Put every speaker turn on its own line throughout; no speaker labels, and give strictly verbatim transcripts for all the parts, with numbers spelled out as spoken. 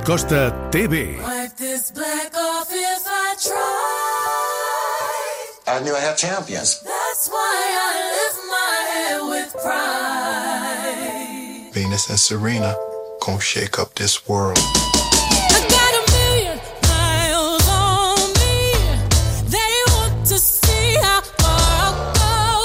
Prat Costa T V.
Wipe this black off if I tried.
I knew I had champions.
That's why I lift my head with pride.
Venus and Serena gonna shake up this world.
I got a million miles on me. They want to see how far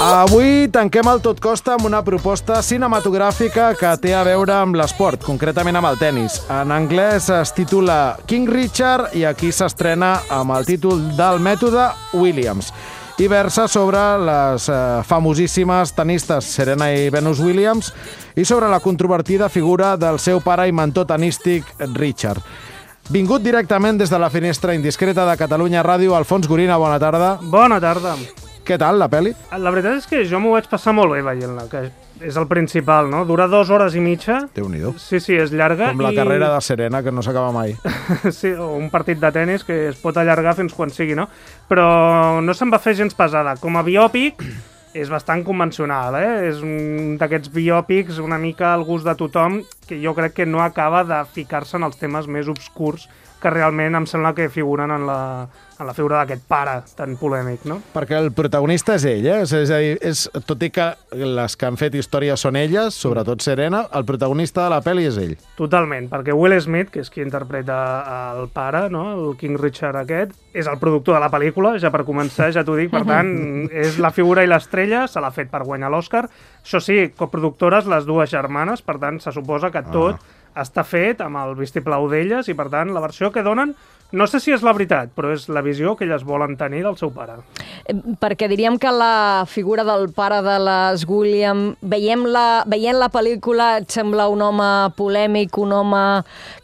I'll go.
Avui tanquem el Tot Costa amb una proposta cinematogràfica que té a veure amb l'esport, concretament amb el tennis. En anglès es titula King Richard i aquí s'estrena amb el títol del mètode Williams. I versa sobre les eh, famosíssimes tenistes Serena i Venus Williams i sobre la controvertida figura del seu pare i mentor tenístic Richard. Vingut directament des de la finestra indiscreta de Catalunya Ràdio, Alfons Gorina, bona tarda.
Bona tarda.
Què tal, la pel·li?
La veritat és que jo m'ho vaig passar molt bé veient-la, que és el principal, no? Dura dues hores i mitja.
Déu-n'hi-do.
Sí, sí, és llarga.
Com la
i...
carrera de Serena, que no s'acaba mai.
Sí, o un partit de tennis que es pot allargar fins quan sigui, no? Però no se'n va fer gens pesada. Com a biòpic és bastant convencional, eh? És un d'aquests biòpics una mica al gust de tothom que jo crec que no acaba de ficar-se en els temes més obscurs que realment em sembla que figuren en la, en la figura d'aquest pare tan polèmic, no?
Perquè el protagonista és ell, eh? És a dir, és, tot i que les que han fet història són elles, sobretot Serena, el protagonista de la pel·li és ell.
Totalment, perquè Will Smith, que és qui interpreta el pare, no? El King Richard aquest, és el productor de la pel·lícula, ja per començar, ja t'ho dic, per tant, és la figura i l'estrella, se l'ha fet per guanyar l'Oscar. Això sí, coproductores les dues germanes, per tant, se suposa que tot ah. està fet amb el vistiplau d'elles i, per tant, la versió que donen, no sé si és la veritat, però és la visió que elles volen tenir del seu pare.
Perquè diríem que la figura del pare de les Williams, veiem la, veient la pel·lícula, et sembla un home polèmic, un home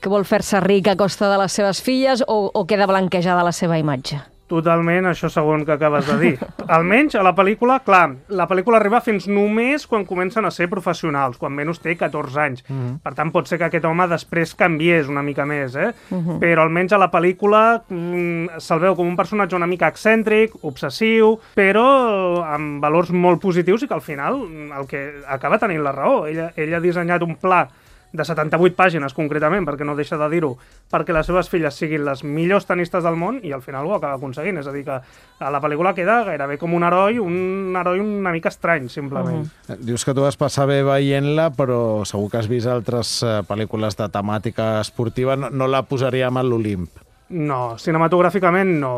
que vol fer-se ric a costa de les seves filles, o, o queda blanquejada la seva imatge?
Totalment, això segon que acabes de dir. Almenys a la pel·lícula, clar, la pel·lícula arriba fins només quan comencen a ser professionals, quan Venus té catorze anys. Uh-huh. Per tant, pot ser que aquest home després canviés una mica més, eh? Uh-huh. Però almenys a la pel·lícula mm, se'l veu com un personatge una mica excèntric, obsessiu, però amb valors molt positius i que al final el que acaba tenint la raó. Ella, ella ha dissenyat un pla de setanta-vuit pàgines, concretament, perquè no deixa de dir-ho, perquè les seves filles siguin les millors tenistes del món i al final ho acaba aconseguint. És a dir, que a la pel·lícula queda gairebé com un heroi, un heroi una mica estrany, simplement.
Uh-huh. Dius que tu vas passar bé veient-la, però segur que has vist altres uh, pel·lícules de temàtica esportiva. No, no la posaríem a l'Olimp.
No, cinematogràficament no.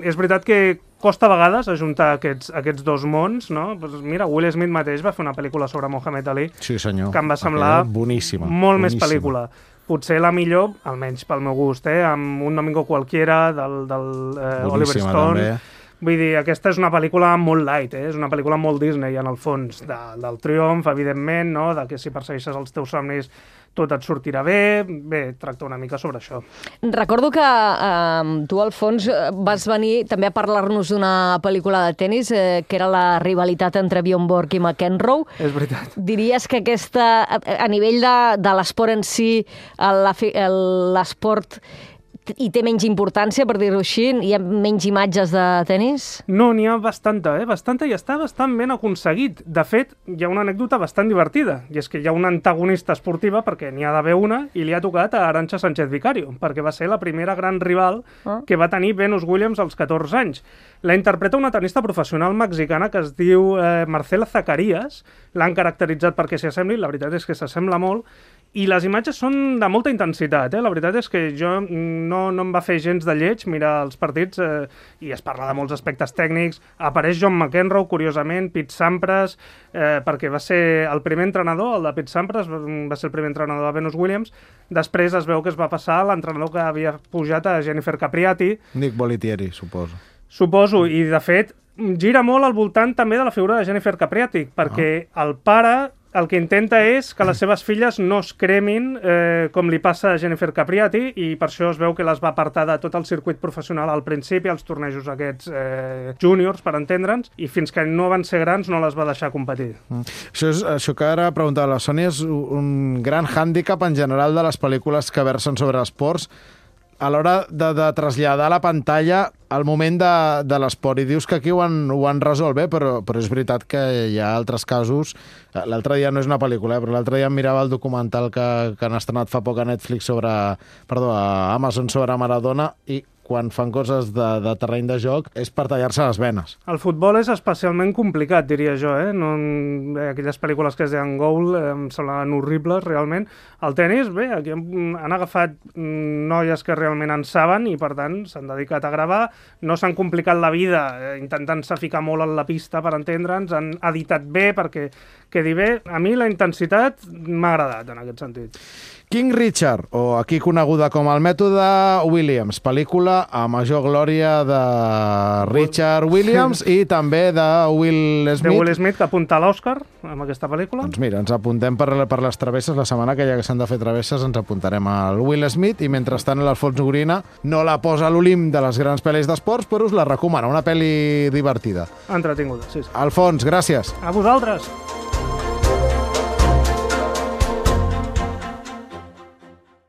És veritat que costa a vegades ajuntar aquests, aquests dos mons, no? Pues mira, Will Smith mateix va fer una pel·lícula sobre Muhammad Ali,
sí, senyor.
Que em va semblar
boníssima,
molt
boníssima.
més pel·lícula. Potser la millor, almenys pel meu gust, eh? Amb Un domingo qualquiera, del, del eh, Oliver Stone. També. Vull dir, aquesta és una pel·lícula molt light, eh? És una pel·lícula molt Disney, en el fons, de, del triomf, evidentment, no? De que si persegueixes els teus somnis tot et sortirà bé. Bé, tracta una mica sobre això.
Recordo que eh, tu, Alfons, vas venir també a parlar-nos d'una pel·lícula de tennis, eh, que era la rivalitat entre Bjorn Borg i McEnroe.
És veritat.
Diries que aquesta, a nivell de, de l'esport en si, l'esport i té menys importància, per dir-ho així? Hi ha menys imatges de tennis?
No, n'hi ha bastanta, eh? Bastanta, i està bastant ben aconseguit. De fet, hi ha una anècdota bastant divertida, i és que hi ha una antagonista esportiva, perquè n'hi ha d'haver una, i li ha tocat a Arantxa Sánchez Vicario, perquè va ser la primera gran rival ah. que va tenir Venus Williams als catorze anys. La interpreta una tenista professional mexicana que es diu eh, Marcela Zacarías. L'han caracteritzat perquè s'hi assembli, la veritat és que s'assembla molt, i les imatges són de molta intensitat, eh? La veritat és que jo no, no em va fer gens de lleig mirar els partits eh, i es parla de molts aspectes tècnics. Apareix John McEnroe, curiosament, Pete Sampras, eh, perquè va ser el primer entrenador, el de Pete Sampras, va ser el primer entrenador de Venus Williams. Després es veu que es va passar l'entrenador que havia pujat a Jennifer Capriati.
Nick Bollettieri, suposo.
Suposo, i de fet gira molt al voltant també de la figura de Jennifer Capriati, perquè ah. el pare el que intenta és que les seves filles no es cremin eh, com li passa a Jennifer Capriati, i per això es veu que les va apartar de tot el circuit professional al principi, als tornejos aquests eh, júniors, per entendre'ns, i fins que no van ser grans no les va deixar competir.
Mm. Això, és, això que ara preguntava la Sònia és un gran hàndicap en general de les pel·lícules que versen sobre esports. A l'hora de, de traslladar a la pantalla el moment de, de l'esport. I dius que aquí ho han, ho han resolt bé, però, però és veritat que hi ha altres casos. L'altre dia no és una pel·lícula, eh, però l'altre dia em mirava el documental que, que han estrenat fa poc a Netflix sobre... Perdó, a Amazon sobre Maradona, i quan fan coses de, de terreny de joc és per tallar-se les venes.
El futbol és especialment complicat, diria jo, eh? No, bé, aquelles pel·lícules que es deien Goal eh, em semblaven horribles, realment. El tennis, bé, aquí han, han agafat noies que realment en saben i, per tant, s'han dedicat a gravar. No s'han complicat la vida eh, intentant-se ficar molt en la pista per entendre'ns, han editat bé perquè quedi bé. A mi la intensitat m'ha agradat, en aquest sentit.
King Richard, o aquí coneguda com el mètode Williams, pel·lícula a major glòria de Richard Williams i també de Will Smith.
De Will Smith, que apunta a l'Oscar amb aquesta pel·lícula.
Doncs mira, ens apuntem per, per les travesses. La setmana que ja que s'han de fer travesses ens apuntarem al Will Smith i mentrestant l'Alfons Gorina no la posa a l'Olimp de les grans pel·lis d'esports, però us la recomana, una pel·li divertida.
Entretinguda, sí, sí.
Alfons, gràcies.
A vosaltres.